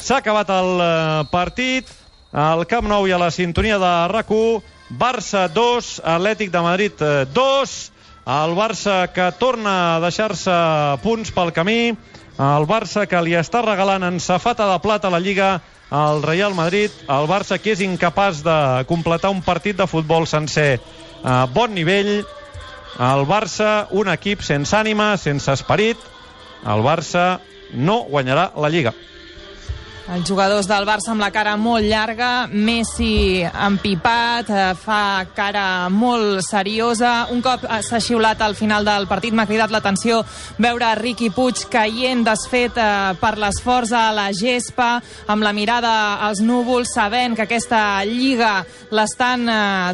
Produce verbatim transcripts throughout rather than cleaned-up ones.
S'ha acabat el partit al Camp Nou i a la sintonia de RAC u. Barça dos, Atlètic de Madrid dos. El Barça que torna a deixar-se punts pel camí. El Barça que li està regalant en safata de plata a la Lliga al Real Madrid. El Barça que és incapaç de completar un partit de futbol sencer a bon nivell. El Barça, un equip sense ànima, sense esperit. El Barça no guanyarà la Lliga. Els jugadors del Barça amb la cara molt llarga, Messi empipat, fa cara molt seriosa. Un cop s'ha xiulat al final del partit, m'ha cridat l'atenció veure Riqui Puig caient desfet per l'esforç a la gespa, amb la mirada als núvols, sabent que aquesta Lliga l'estan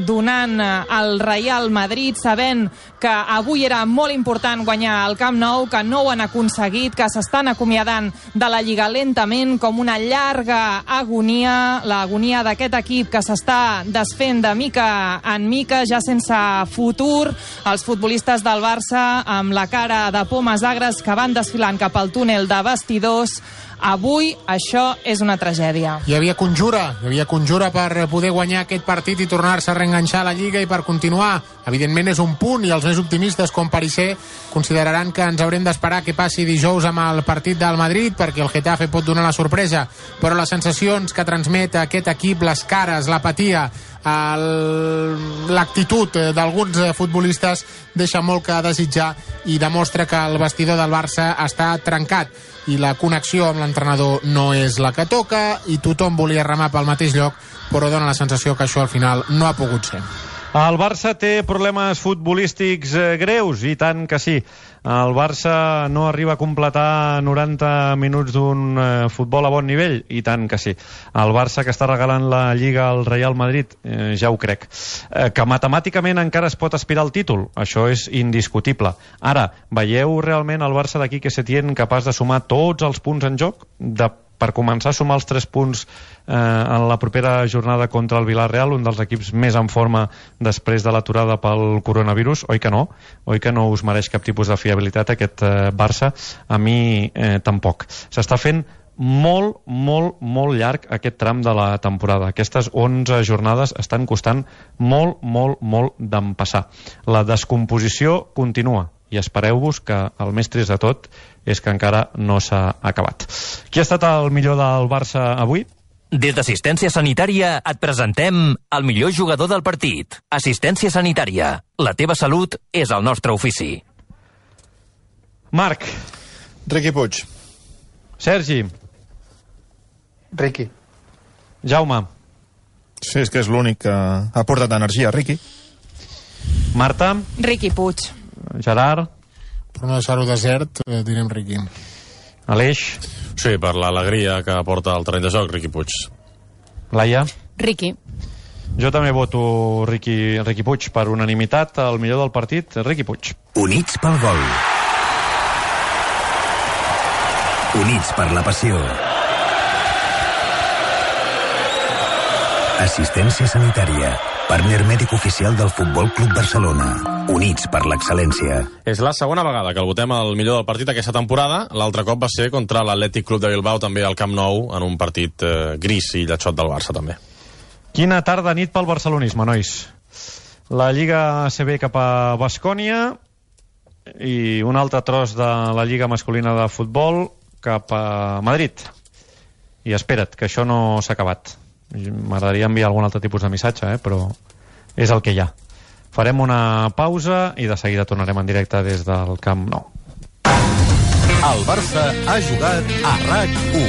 donant al Real Madrid, sabent que avui era molt important guanyar el Camp Nou, que no ho han aconseguit, que s'estan acomiadant de la Lliga lentament, com una llarga agonia, l'agonia d'aquest equip que s'està desfent de mica en mica, ja sense futur. Els futbolistes del Barça amb la cara de pomes agres que van desfilant cap al túnel de vestidors. Avui això és una tragèdia. Hi havia conjura, hi havia conjura per poder guanyar aquest partit i tornar-se a reenganxar a la Lliga i per continuar. Evidentment és un punt i els més optimistes com Parisser consideraran que ens haurem d'esperar que passi dijous amb el partit del Madrid perquè el Getafe pot donar la sorpresa, però les sensacions que transmet aquest equip, les cares, l'apatia, l'actitud d'alguns futbolistes deixa molt que desitjar i demostra que el vestidor del Barça està trencat i la connexió amb l'entrenador no és la que toca i tothom volia remar pel mateix lloc, però dona la sensació que això al final no ha pogut ser. El Barça té problemes futbolístics greus, i tant que sí. El Barça no arriba a completar noranta minuts d'un eh, futbol a bon nivell, i tant que sí. El Barça que està regalant la Lliga al Real Madrid, eh, ja ho crec. Eh, que matemàticament encara es pot aspirar al títol, això és indiscutible. Ara, veieu realment el Barça d'aquí que Setién capaç de sumar tots els punts en joc? De per començar a sumar els tres punts eh, en la propera jornada contra el Villarreal, un dels equips més en forma després de l'aturada pel coronavirus? Oi que no? Oi que no us mereix cap tipus de fiabilitat aquest eh, Barça? A mi eh, tampoc. S'està fent molt, molt, molt llarg aquest tram de la temporada. Aquestes onze jornades estan costant molt, molt, molt d'empassar. La descomposició continua i espereu-vos que el més trist de tot és que encara no s'ha acabat. Qui ha estat el millor del Barça avui? Des d'Assistència Sanitària et presentem el millor jugador del partit. Assistència Sanitària. La teva salut és el nostre ofici. Marc. Riqui Puig. Sergi. Riqui. Jaume. Sí, és que és l'únic que ha portat energia, Riqui. Marta. Riqui Puig. Gerard. Per no deixar-ho desert, eh, direm Riqui. Aleix. Sí, per l'alegria que aporta el terreny de joc, Riqui Puig. Laia. Riqui. Jo també voto Riqui, Riqui Puig per unanimitat. El millor del partit, Riqui Puig. Units pel gol. Units per la passió. Assistència Sanitària. Partner mèdic oficial del Futbol Club Barcelona. Units per l'excel·lència. És la segona vegada que el votem el millor del partit aquesta temporada. L'altre cop va ser contra l'Atlètic Club de Bilbao, també al Camp Nou, en un partit eh, gris i lletxot del Barça, també. Quina tarda nit pel barcelonisme, nois. La Lliga A C B cap a Baskònia i un altre tros de la Lliga masculina de futbol cap a Madrid. I espera't, que això no s'ha acabat. M'agradaria enviar algun altre tipus de missatge, eh? Però és el que hi ha. Farem una pausa i de seguida tornarem en directe des del Camp Nou. El Barça ha jugat a RAC u.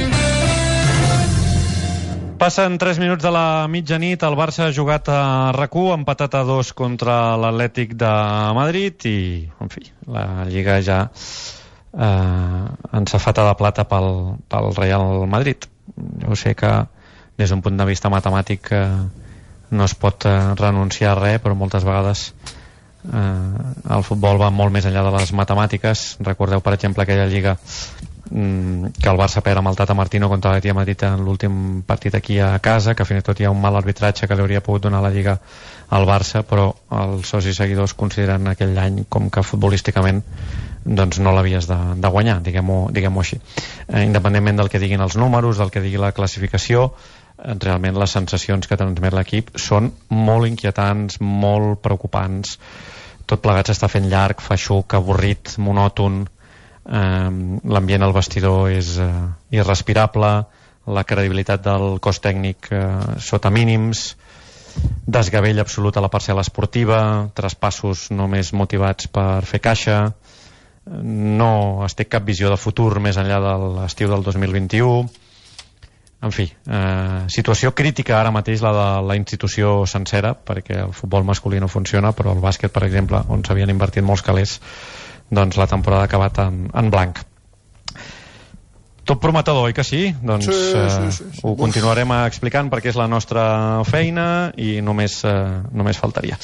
Passen tres minuts de la mitjanit. El Barça ha jugat a RAC u, empatat a dos contra l'Atlètic de Madrid i, en fi, la Lliga ja eh, ensafata de plata pel, pel Real Madrid. Jo sé que des d'un punt de vista matemàtic eh, no es pot eh, renunciar a res, però moltes vegades eh, el futbol va molt més enllà de les matemàtiques. Recordeu, per exemple, aquella Lliga mm, que el Barça perd amb el Tata Martino contra l'Atlètic de Madrid en l'últim partit aquí a casa, que fins i tot hi ha un mal arbitratge que li hauria pogut donar la Lliga al Barça, però els socis seguidors consideren aquell any com que futbolísticament doncs no l'havies de, de guanyar, diguem-ho diguem-ho així. Eh, independentment del que diguin els números, del que digui la classificació, eh, realment les sensacions que transmet l'equip són molt inquietants, molt preocupants. Tot plegat s'està fent llarg, feixuc, avorrit, monòton. Eh, l'ambient al vestidor és eh, irrespirable, la credibilitat del cos tècnic eh, sota mínims, desgavell absolut a la parcel·la esportiva, traspassos només motivats per fer caixa, no es té cap visió de futur més enllà de l'estiu del dos mil vint-i-u. En fi, eh, situació crítica ara mateix la de la institució sencera, perquè el futbol masculí no funciona, però el bàsquet, per exemple, on s'havien invertit molts calés, doncs la temporada ha acabat en, en blanc. Tot prometedor, oi que sí? Doncs sí, sí, sí, sí. Eh, ho continuarem explicant perquè és la nostra feina i només, eh, només faltaria.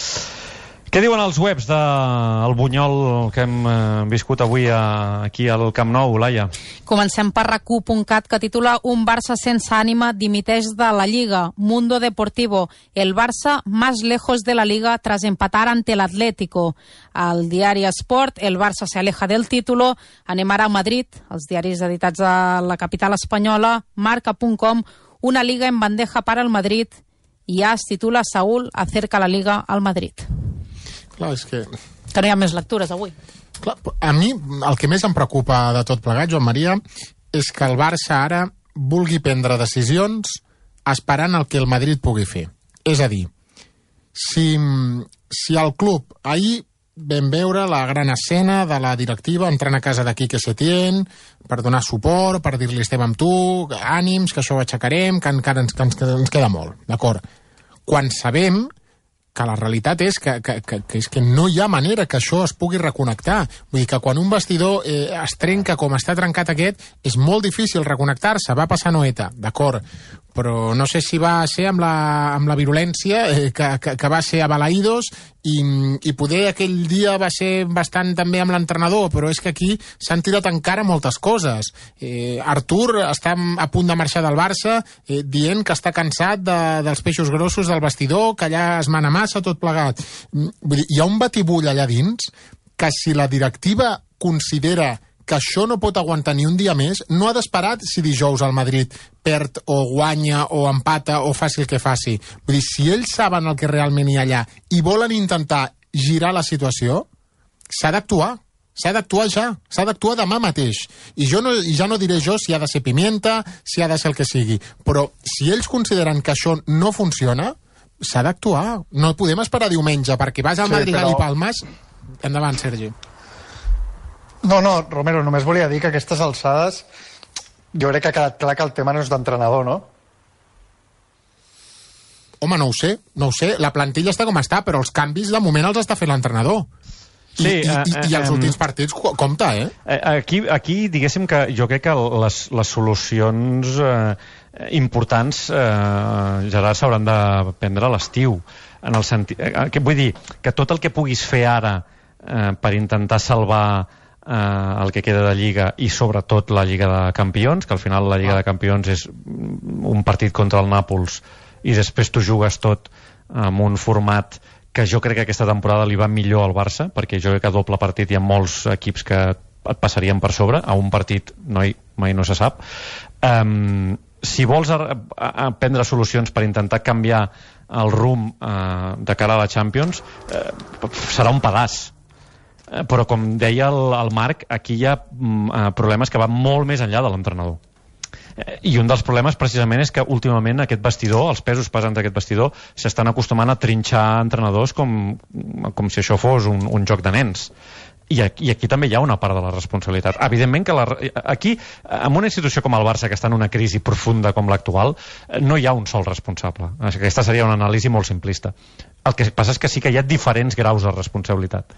Què diuen els webs del Bunyol que hem eh, viscut avui a, aquí al Camp Nou, Laia? Comencem per rac u punt cat, que titula Un Barça sense ànima dimiteix de la Liga. Mundo Deportivo. El Barça más lejos de la Liga tras empatar ante el Atlético. Al diari Esport, el Barça se aleja del título. Anem ara a Madrid. Els diaris editats a la capital espanyola. Marca punt com. Una Liga en bandeja para el Madrid. I ja es titula Saúl acerca la Liga al Madrid. Clar, és que... Que no hi ha més lectures avui. Clar, a mi el que més em preocupa de tot plegat, Joan Maria, és que el Barça ara vulgui prendre decisions esperant el que el Madrid pugui fer. És a dir, si, si el club... Ahir vam veure la gran escena de la directiva entrant a casa de Quique Setién per donar suport, per dir-li estem amb tu, ànims, que això ho aixecarem, que encara ens, que ens, ens queda molt, d'acord? Quan sabem que la realitat és que, que, que, que, és que no hi ha manera que això es pugui reconnectar. Vull dir que quan un vestidor eh, es trenca com està trencat aquest, és molt difícil reconnectar-se. Va passar Noeta, d'acord, però no sé si va ser amb la, amb la virulència eh, que, que, que va ser a Balaïdos i, i poder aquell dia va ser bastant també amb l'entrenador, però és que aquí s'han tirat encara moltes coses. Eh, Artur està a punt de marxar del Barça eh, dient que està cansat de, dels peixos grossos del vestidor, que allà es mana massa, tot plegat. Vull dir, hi ha un batibull allà dins que si la directiva considera que això no pot aguantar ni un dia més, no ha d'esperar si dijous el Madrid perd o guanya o empata o faci el que faci. Vull dir, si ells saben el que realment hi ha allà i volen intentar girar la situació, s'ha d'actuar. S'ha d'actuar ja, s'ha d'actuar demà mateix. I jo no, ja no diré jo si ha de ser pimienta, si ha de ser el que sigui, però si ells consideren que això no funciona, s'ha d'actuar. No podem esperar diumenge perquè vas al sí, Madrigal però... i Palmes. Endavant, Sergi. No, no, Romero, només volia dir que a aquestes alçades jo crec que ha quedat clar que el tema no és d'entrenador, no? Home, no ho sé, no ho sé. La plantilla està com està, però els canvis de moment els està fent l'entrenador. I, sí, i, i, i els últims partits, compte, eh? Aquí, aquí diguéssim que jo crec que les, les solucions eh, importants, eh, Gerard, s'hauran de prendre a l'estiu. En el sentit, eh, que vull dir que tot el que puguis fer ara eh, per intentar salvar eh, el que queda de Lliga i sobretot la Lliga de Campions, que al final la Lliga de Campions és un partit contra el Nàpols i després tu jugues tot amb un format que jo crec que aquesta temporada li va millor al Barça, perquè jo crec que a doble partit hi ha molts equips que et passarien per sobre, a un partit no hi, mai no se sap. Um, si vols a, a, a prendre solucions per intentar canviar el rumb uh, de cara a la Champions, uh, serà un pedaç. Uh, però com deia el, el Marc, aquí hi ha uh, problemes que van molt més enllà de l'entrenador. I un dels problemes precisament és que últimament aquest vestidor, els pesos pesants d'aquest vestidor, s'estan acostumant a trinxar entrenadors com, com si això fos un, un joc de nens. I aquí, I aquí també hi ha una part de la responsabilitat. Evidentment que la, aquí, en una institució com el Barça, que està en una crisi profunda com l'actual, no hi ha un sol responsable. Aquesta seria una anàlisi molt simplista. El que passa és que sí que hi ha diferents graus de responsabilitat.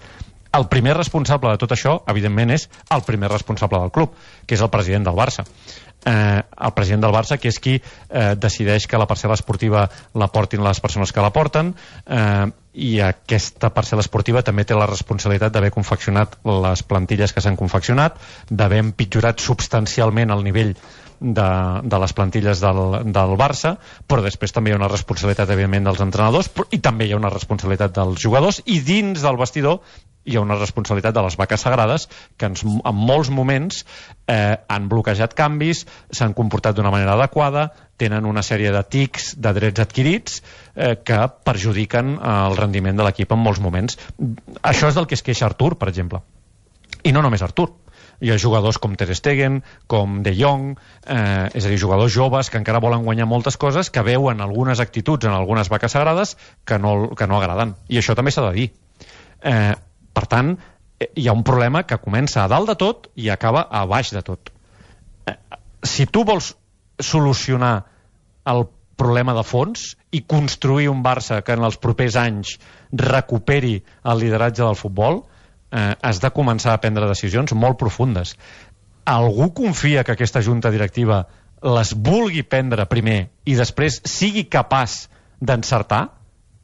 El primer responsable de tot això, evidentment, és el primer responsable del club, que és el president del Barça. Eh, el president del Barça, que és qui eh, decideix que la parcel·la esportiva la portin les persones que la porten, eh, i aquesta parcel·la esportiva també té la responsabilitat d'haver confeccionat les plantilles que s'han confeccionat, d'haver empitjorat substancialment el nivell de, de les plantilles del, del Barça, però després també hi ha una responsabilitat, evidentment, dels entrenadors, i també hi ha una responsabilitat dels jugadors, i dins del vestidor hi ha una responsabilitat de les vaques sagrades que en, en molts moments eh, han bloquejat canvis, s'han comportat d'una manera adequada, tenen una sèrie de tics de drets adquirits eh, que perjudiquen eh, el rendiment de l'equip en molts moments. Això és del que es queixa Artur, per exemple. I no només Artur. Hi ha jugadors com Ter Stegen, com De Jong, eh, és a dir, jugadors joves que encara volen guanyar moltes coses, que veuen algunes actituds en algunes vaques sagrades que no, que no agraden. I això també s'ha de dir. Eh, per tant, hi ha un problema que comença a dalt de tot i acaba a baix de tot. Eh, si tu vols solucionar el problema de fons i construir un Barça que en els propers anys recuperi el lideratge del futbol, eh, has de començar a prendre decisions molt profundes. Algú confia que aquesta junta directiva les vulgui prendre primer i després sigui capaç d'encertar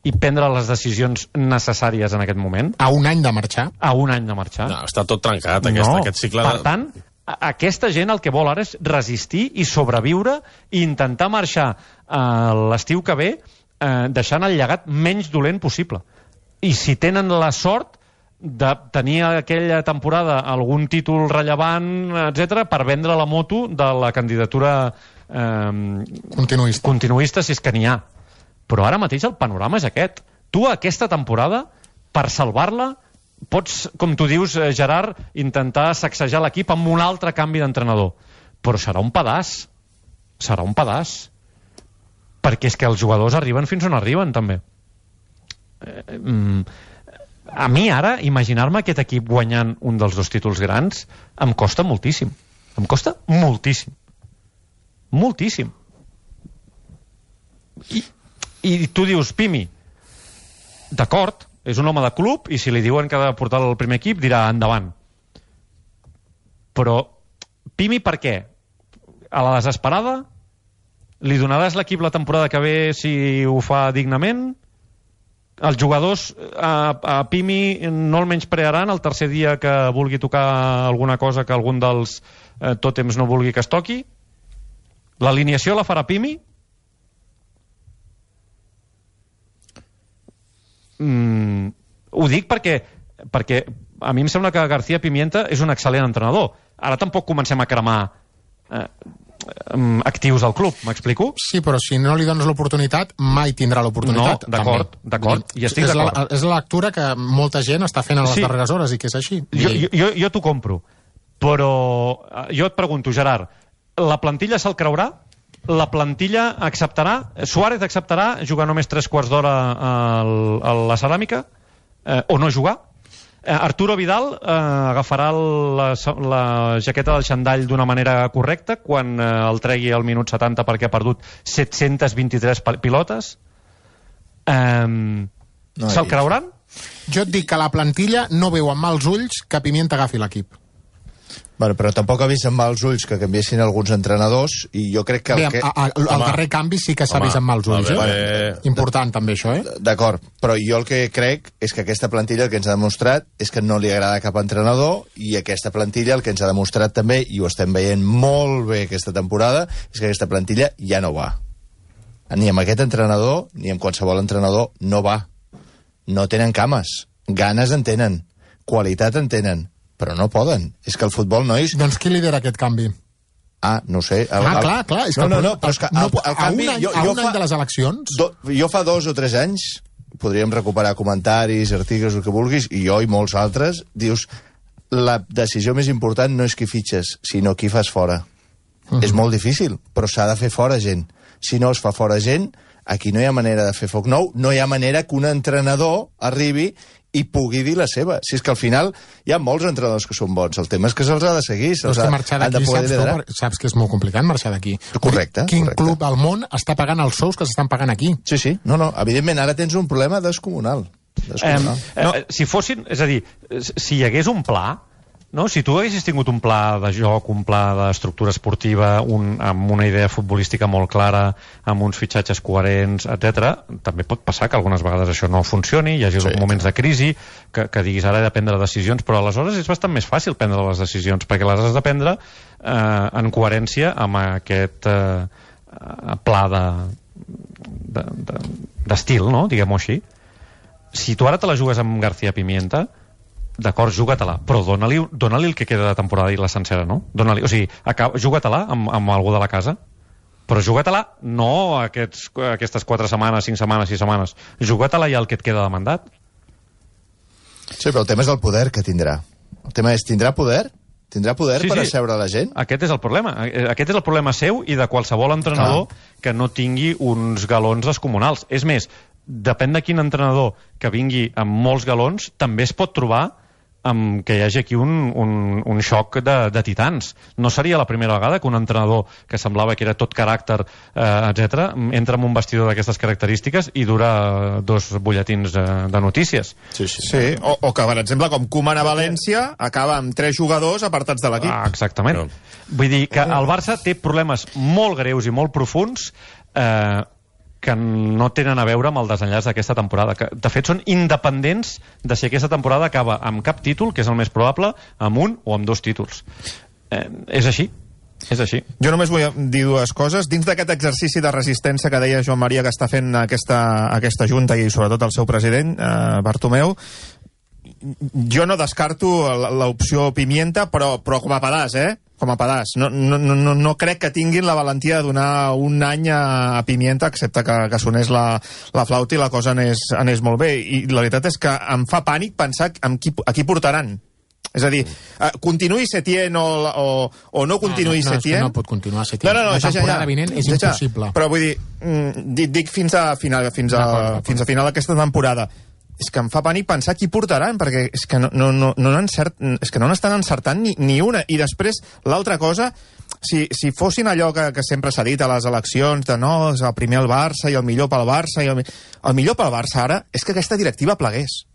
i prendre les decisions necessàries en aquest moment? A un any de marxar? A un any de marxar. No, està tot trencat, aquest, no. aquest cicle. Per tant, aquesta gent el que vol ara és resistir i sobreviure i intentar marxar eh, l'estiu que ve eh, deixant el llegat menys dolent possible. I si tenen la sort de tenir aquella temporada algun títol rellevant, etcètera, per vendre la moto de la candidatura eh, continuista. continuista, si és que n'hi ha. Però ara mateix el panorama és aquest. Tu aquesta temporada, per salvar-la, pots, com tu dius, Gerard, intentar sacsejar l'equip amb un altre canvi d'entrenador. Però serà un pedaç. Serà un pedaç. Perquè és que els jugadors arriben fins on arriben, també. Eh, mm, a mi ara, imaginar-me aquest equip guanyant un dels dos títols grans em costa moltíssim. Em costa moltíssim. Moltíssim. I, i tu dius, Pimi, d'acord, és un home de club i si li diuen que ha de portar el primer equip dirà endavant. Però Pimi per què? A la desesperada? Li donaràs l'equip la temporada que ve si ho fa dignament? Els jugadors a, a Pimi no el menysprearan el tercer dia que vulgui tocar alguna cosa que algun dels eh, tòtems no vulgui que es toqui? L'alineació la farà Pimi? Mm, ho dic perquè, perquè a mi em sembla que García Pimienta és un excel·lent entrenador. Ara tampoc comencem a cremar eh, actius del club, m'explico? Sí, però si no li dones l'oportunitat, mai tindrà l'oportunitat. No, d'acord, d'acord, i estic d'acord. És, és la lectura que molta gent està fent a les sí. darreres hores i que és així. Jo, jo, jo, jo t'ho compro, però jo et pregunto, Gerard, la plantilla se'l creurà? La plantilla acceptarà? Suárez acceptarà jugar només tres quarts d'hora a, a la ceràmica? Eh, o no jugar? Eh, Arturo Vidal eh, agafarà la, la jaqueta del xandall d'una manera correcta quan eh, el tregui al minut setanta perquè ha perdut set-centes vint-i-tres pilotes? Eh, no, Se'l creuran? Jo et dic que la plantilla no veu amb mals ulls que Pimienta agafi l'equip. Bueno, però tampoc ha vist amb mals ulls que canviessin alguns entrenadors i jo crec que... El, Bé, que... A, a, el Home. darrer canvi sí que s'ha vist amb mals ulls, eh? Bueno, important també això, eh? D'acord, però jo el que crec és que aquesta plantilla el que ens ha demostrat és que no li agrada cap entrenador i aquesta plantilla el que ens ha demostrat també, i ho estem veient molt bé aquesta temporada, és que aquesta plantilla ja no va. Ni amb aquest entrenador, ni amb qualsevol entrenador, no va. No tenen cames. Ganes en tenen. Qualitat en tenen. Però no poden. És que el futbol, nois... Doncs qui lidera aquest canvi? Ah, no sé. El, ah, clar, clar. És no, que no, no, però és que el, el, el canvi... A un any, jo, a jo un fa, any de les eleccions? Do, jo fa dos o tres anys, podríem recuperar comentaris, articles, el que vulguis, i jo i molts altres, dius, la decisió més important no és qui fitxes, sinó qui fas fora. Uh -huh. És molt difícil, però s'ha de fer fora gent. Si no es fa fora gent, aquí no hi ha manera de fer foc nou, no hi ha manera que un entrenador arribi i pugui dir la seva. Si és que al final hi ha molts entrenadors que són bons, el tema és que se'ls ha de seguir, se'ls ha, han de poder liderar. Saps, saps que és molt complicat marxar d'aquí. Correcte. Quin correcte. club al món està pagant els sous que s'estan pagant aquí? Sí, sí. No, no, evidentment ara tens un problema descomunal. descomunal. Eh, no. eh, si fossin, és a dir, si hi hagués un pla No? Si tu haguessis tingut un pla de joc, un pla d'estructura esportiva, un, amb una idea futbolística molt clara, amb uns fitxatges coherents, etcètera, també pot passar que algunes vegades això no funcioni, hi hagi sí, moments de crisi, que, que diguis ara he de prendre decisions, però aleshores és bastant més fàcil prendre les decisions, perquè les has de prendre eh, en coherència amb aquest eh, pla de, de, de, d'estil, no? Diguem-ho així. Si tu ara te la jugues amb García Pimienta, d'acord, juga-te-la, però dona-li dona el que queda de temporada i la sencera, no? Dona-li, o sigui, juga-te-la amb, amb algú de la casa, però juga-te-la no aquests, aquestes quatre setmanes, cinc setmanes, sis setmanes. Juga-te-la ja el que et queda de mandat. Sí, però el tema és el poder que tindrà. El tema és, tindrà poder? Tindrà poder sí, per sí. asseure la gent? Aquest és el problema. Aquest és el problema seu i de qualsevol entrenador ah. que no tingui uns galons descomunals. És més, depèn de quin entrenador que vingui amb molts galons, també es pot trobar amb que hi hagi aquí un, un, un xoc de, de titans. No seria la primera vegada que un entrenador que semblava que era tot caràcter, eh, etcètera, entra en un vestidor d'aquestes característiques i dura dos butlletins de, de notícies. Sí, sí. sí. O, o que, per exemple, com Koeman a València, acaba amb tres jugadors apartats de l'equip. Ah, exactament. No. Vull dir que el Barça té problemes molt greus i molt profuns eh, que no tenen a veure amb el desenllaç d'aquesta temporada, que de fet són independents de si aquesta temporada acaba amb cap títol, que és el més probable, amb un o amb dos títols. Eh, és així, és així. Jo només vull dir dues coses. Dins d'aquest exercici de resistència que deia Joan Maria que està fent aquesta, aquesta junta i sobretot el seu president, eh, Bartomeu, jo no descarto l'opció Pimienta, però, però com a pedaç, eh? Com a pedaç. No, no, no, no crec que tinguin la valentia de donar un any a, a Pimienta, excepte que, que sonés la, la flauta i la cosa anés, anés molt bé. I la veritat és que em fa pànic pensar amb qui, a qui portaran. És a dir, uh, continuï Setién o, o, o no continuï no, no, no, Setién... No, no pot continuar Setién. No, no, no, la temporada ja, ja, vinent és ja, ja. impossible. Però vull dir, mm, dic, dic fins a final, fins a, fins a final d'aquesta temporada. És que em fa pànic pensar qui portaran, perquè és que no, no, no, no, encert, és que no n'estan encertant ni, ni una. I després, l'altra cosa, si, si fossin allò que, que sempre s'ha dit a les eleccions, de no, és el primer el Barça i el millor pel Barça, i el, el millor pel Barça ara és que aquesta directiva plegués.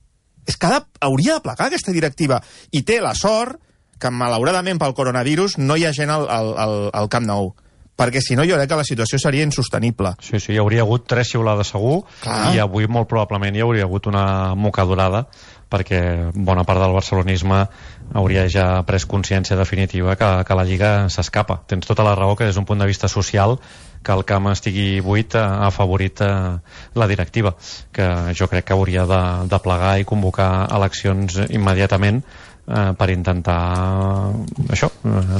És que ha de, hauria de plegar aquesta directiva. I té la sort que, malauradament pel coronavirus, no hi ha gent al, al, al, al Camp Nou. Perquè si no jo crec que la situació seria insostenible. Sí, sí, hi hauria hagut tres xiulades segur. Clar. I avui molt probablement hi hauria hagut una mocadurada, perquè bona part del barcelonisme hauria ja pres consciència definitiva que, que la Lliga s'escapa. Tens tota la raó que des d'un punt de vista social que el camp estigui buit ha afavorit eh, la directiva, que jo crec que hauria de, de plegar i convocar eleccions immediatament eh, per intentar això,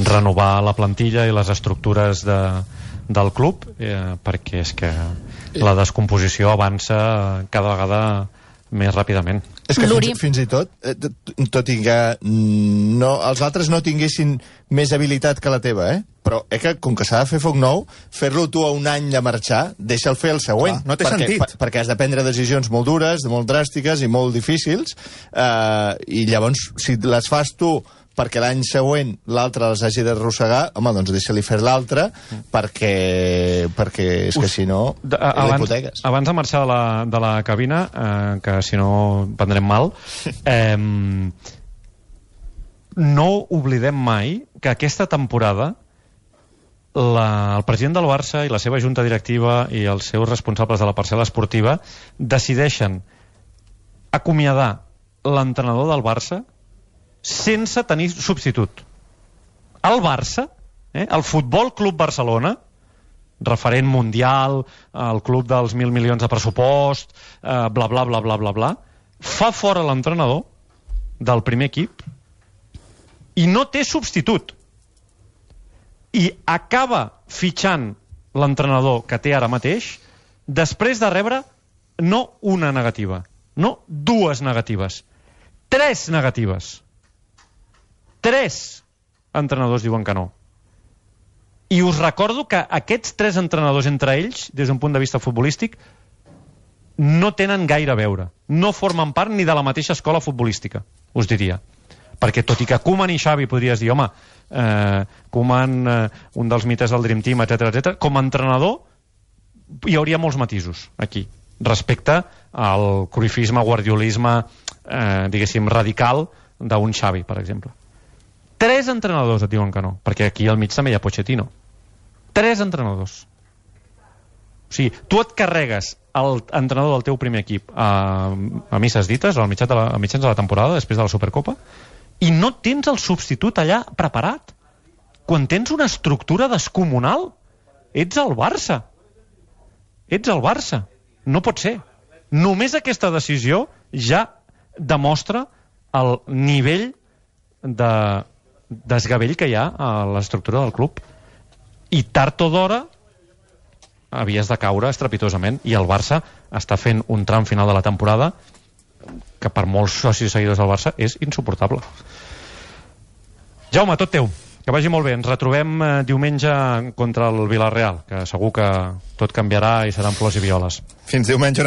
renovar la plantilla i les estructures de, del club, eh, perquè és que la descomposició avança cada vegada més ràpidament. És que fins, fins i tot, eh, tot i que no, els altres no tinguessin més habilitat que la teva, eh? Però eh, que, com que s'ha de fer foc nou, fer-lo tu a un any de marxar, deixa'l fer el següent. Clar, no té perquè, sentit. Per, perquè has de prendre decisions molt dures, molt dràstiques i molt difícils, eh, i llavors, si les fas tu perquè l'any següent l'altre les hagi d'arrossegar, home, doncs deixa-li fer l'altre, perquè, perquè és que si no de, abans, abans de marxar de la, de la cabina, eh, que si no prendrem mal, eh, no oblidem mai que aquesta temporada la, el president del Barça i la seva junta directiva i els seus responsables de la parcel·la esportiva decideixen acomiadar l'entrenador del Barça sense tenir substitut. El Barça, eh, el Futbol Club Barcelona, referent mundial, el club dels mil milions de pressupost, eh, bla, bla, bla, bla, bla, bla, fa fora l'entrenador del primer equip i no té substitut. I acaba fitxant l'entrenador que té ara mateix després de rebre no una negativa, no dues negatives, tres negatives. Tres entrenadors diuen que no. I us recordo que aquests tres entrenadors entre ells, des d'un punt de vista futbolístic, no tenen gaire a veure. No formen part ni de la mateixa escola futbolística, us diria. Perquè tot i que Koeman i Xavi podries dir, home, eh, Koeman, eh, un dels mites del Dream Team, etcètera, etcètera, com a entrenador hi hauria molts matisos aquí, respecte al cruyffisme, guardiolisme, eh, diguéssim, radical d'un Xavi, per exemple. Tres entrenadors et diuen que no, perquè aquí al mig també hi ha Pochettino. Tres entrenadors. O sigui, tu et carregues l'entrenador del teu primer equip a, a misses dites, al mitjà de la, a mitjans de la temporada, després de la Supercopa, i no tens el substitut allà preparat. Quan tens una estructura descomunal, ets el Barça. Ets el Barça. No pot ser. Només aquesta decisió ja demostra el nivell de desgavell que hi ha a l'estructura del club. I tard o d'hora havies de caure estrepitosament, i el Barça està fent un tram final de la temporada que per molts socis seguidors del Barça és insuportable. Jaume, tot teu. Que vagi molt bé. Ens retrobem eh, diumenge contra el Villarreal, que segur que tot canviarà i seran flors i violes. Fins diumenge.